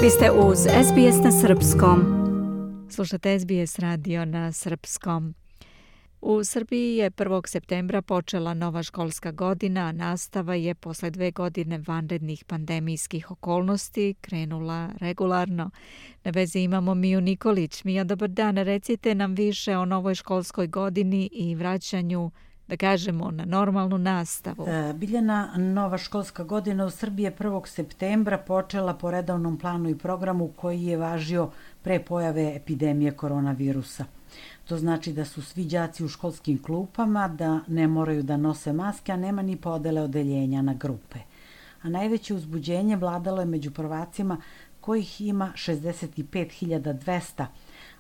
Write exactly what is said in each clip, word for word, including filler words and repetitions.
Vi ste uz S B S na srpskom. Slušate S B S radio na srpskom. U Srbiji je prvog septembra počela nova školska godina, a nastava je posle dve godine vanrednih pandemijskih okolnosti krenula regularno. Na vezi imamo Miju Nikolić. Mija, dobar dan. Recite nam više o novoj školskoj godini i vraćanju, da kažemo, na normalnu nastavu. E, Biljana, nova školska godina u Srbiji je prvog septembra počela po redovnom planu i programu koji je važio pre pojave epidemije koronavirusa. To znači da su svi đaci u školskim klupama, da ne moraju da nose maske, a nema ni podele odeljenja na grupe. A najveće uzbuđenje vladalo je među prvacima kojih ima šezdeset pet hiljada dvesta,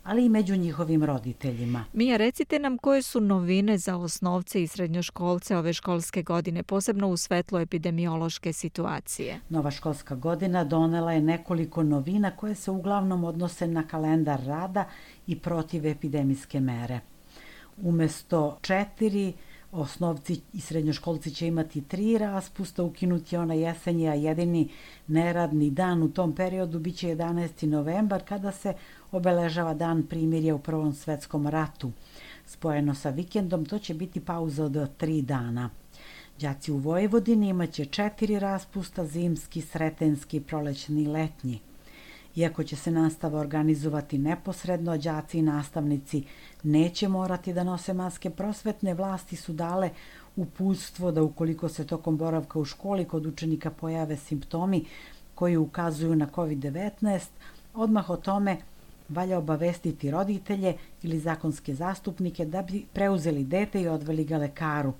ali i među njihovim roditeljima. Mija, recite nam koje su novine za osnovce i srednjoškolce ove školske godine, posebno u svetlu epidemiološke situacije. Nova školska godina donela je nekoliko novina koje se uglavnom odnose na kalendar rada i protivepidemijske mere. Umesto četiri, osnovci i srednjoškolci će imati tri raspusta, ukinuti je ona jesenji, a jedini neradni dan u tom periodu biće jedanaesti novembar, kada se obeležava dan primirja u Prvom svetskom ratu. Spojeno sa vikendom, to će biti pauza od tri dana. Đaci u Vojvodini imaće četiri raspusta, zimski, sretenski, prolećni i letnji. Iako će se nastava organizovati neposredno, đaci i nastavnici neće morati da nose maske. Prosvetne vlasti su dale uputstvo da ukoliko se tokom boravka u školi kod učenika pojave simptomi koji ukazuju na kovid devetnaest, odmah o tome valja obavestiti roditelje ili zakonske zastupnike da bi preuzeli dete i odveli ga lekaru.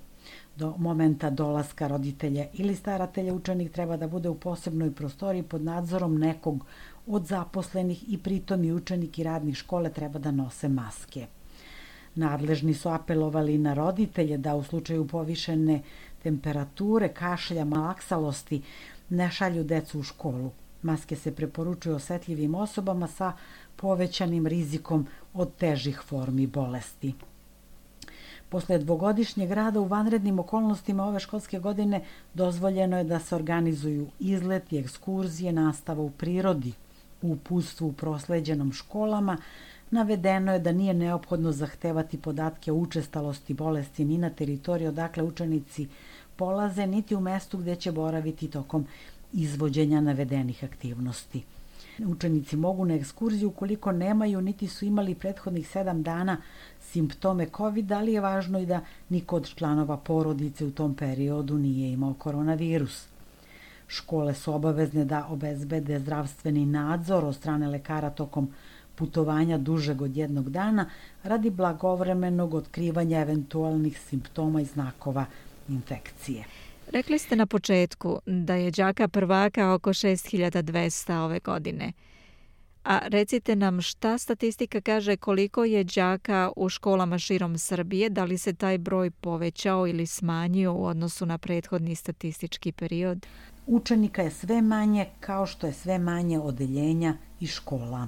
Do momenta dolaska roditelja ili staratelja učenik treba da bude u posebnoj prostoriji pod nadzorom nekog od zaposlenih i pritom i učenik i radnik škole treba da nose maske. Nadležni su apelovali na roditelje da u slučaju povišene temperature, kašlja, malaksalosti ne šalju decu u školu. Maske se preporučuju osetljivim osobama sa povećanim rizikom od težih formi bolesti. Posle dvogodišnjeg rada u vanrednim okolnostima ove školske godine dozvoljeno je da se organizuju izleti, ekskurzije, nastava u prirodi. U uputstvu u prosleđenom školama navedeno je da nije neophodno zahtevati podatke o učestalosti bolesti ni na teritoriji odakle učenici polaze, niti u mestu gde će boraviti tokom izvođenja navedenih aktivnosti. Učenici mogu na ekskurziju ukoliko nemaju niti su imali prethodnih sedam dana simptome kovida, ali je važno i da niko od članova porodice u tom periodu nije imao koronavirus. Škole su obavezne da obezbede zdravstveni nadzor od strane lekara tokom putovanja dužeg od jednog dana radi blagovremenog otkrivanja eventualnih simptoma i znakova infekcije. Rekli ste na početku da je đaka prvaka oko šest hiljada dvesta ove godine. A recite nam šta statistika kaže koliko je đaka u školama širom Srbije, da li se taj broj povećao ili smanjio u odnosu na prethodni statistički period? Učenika je sve manje, kao što je sve manje odeljenja i škola.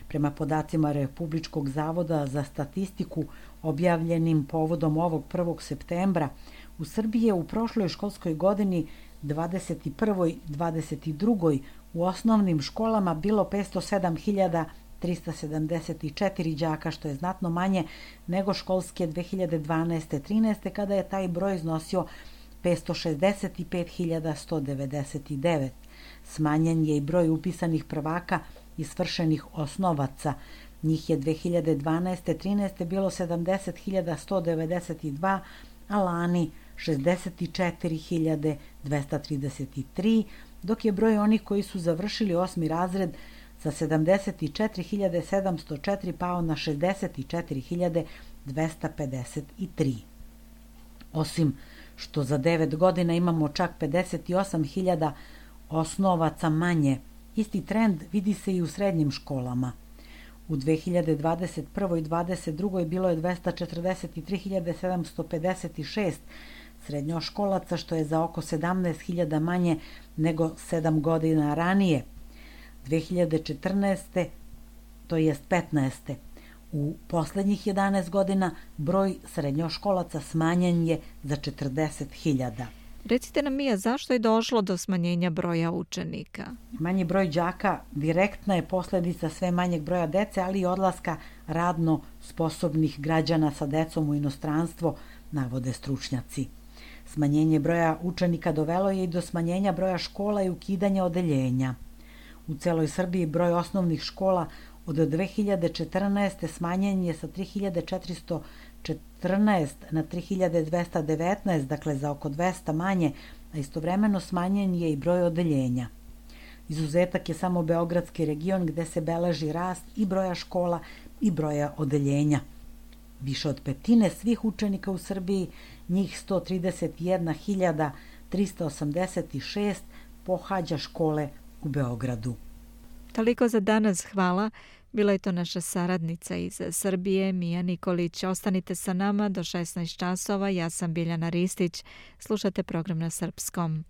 Prema podacima Republičkog zavoda za statistiku objavljenim povodom ovog prvog septembra, u Srbiji je u prošloj školskoj godini dvadeset prve dvadeset druge u osnovnim školama bilo petsto sedam hiljada trista sedamdeset četiri đaka, što je znatno manje nego školske dve hiljade dvanaeste trinaeste kada je taj broj iznosio petsto šezdeset pet hiljada sto devedeset devet. Smanjen je i broj upisanih prvaka i svršenih osnovaca. Njih je dve hiljade dvanaeste trinaeste bilo sedamdeset hiljada sto devedeset dva, a lani šezdeset četiri hiljade dvesta trideset tri, dok je broj onih koji su završili osmi razred sa sedamdeset četiri hiljade sedamsto četiri pao na šezdeset četiri hiljade dvesta pedeset tri. Osim što za devet godina imamo čak pedeset osam hiljada osnovaca manje, isti trend vidi se i u srednjim školama. U dve hiljade dvadeset prve i dvadeset druge bilo je dvesta četrdeset tri hiljade sedamsto pedeset šest srednjoškolaca, što je za oko sedamnaest hiljada manje nego sedam godina ranije. dve hiljade četrnaeste. to jest petnaeste. U poslednjih jedanaest godina broj srednjoškolaca smanjen je za četrdeset hiljada. Recite nam, Mija, zašto je došlo do smanjenja broja učenika? Manji broj đaka direktna je posledica sve manjeg broja dece, ali i odlaska radno sposobnih građana sa decom u inostranstvo, navode stručnjaci. Smanjenje broja učenika dovelo je i do smanjenja broja škola i ukidanja odeljenja. U celoj Srbiji broj osnovnih škola od dve hiljade četrnaeste. smanjen je sa tri hiljade četiristo četrnaest na tri hiljade dvesta devetnaest, dakle za oko dvesta manje, a istovremeno smanjen je i broj odeljenja. Izuzetak je samo Beogradski region gde se beleži rast i broja škola i broja odeljenja. Više od petine svih učenika u Srbiji, njih sto trideset jedna hiljada trista osamdeset šest, pohađa škole u Beogradu. Toliko za danas, hvala. Bila je to naša saradnica iz Srbije, Mija Nikolić. Ostanite sa nama do šesnaest časova. Ja sam Biljana Ristić. Slušate program na srpskom.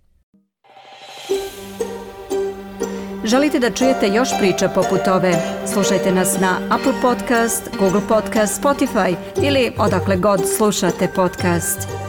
Želite da čujete još priča poput ove? Slušajte nas na Apple Podcast, Google Podcast, Spotify ili odakle god slušate podcast.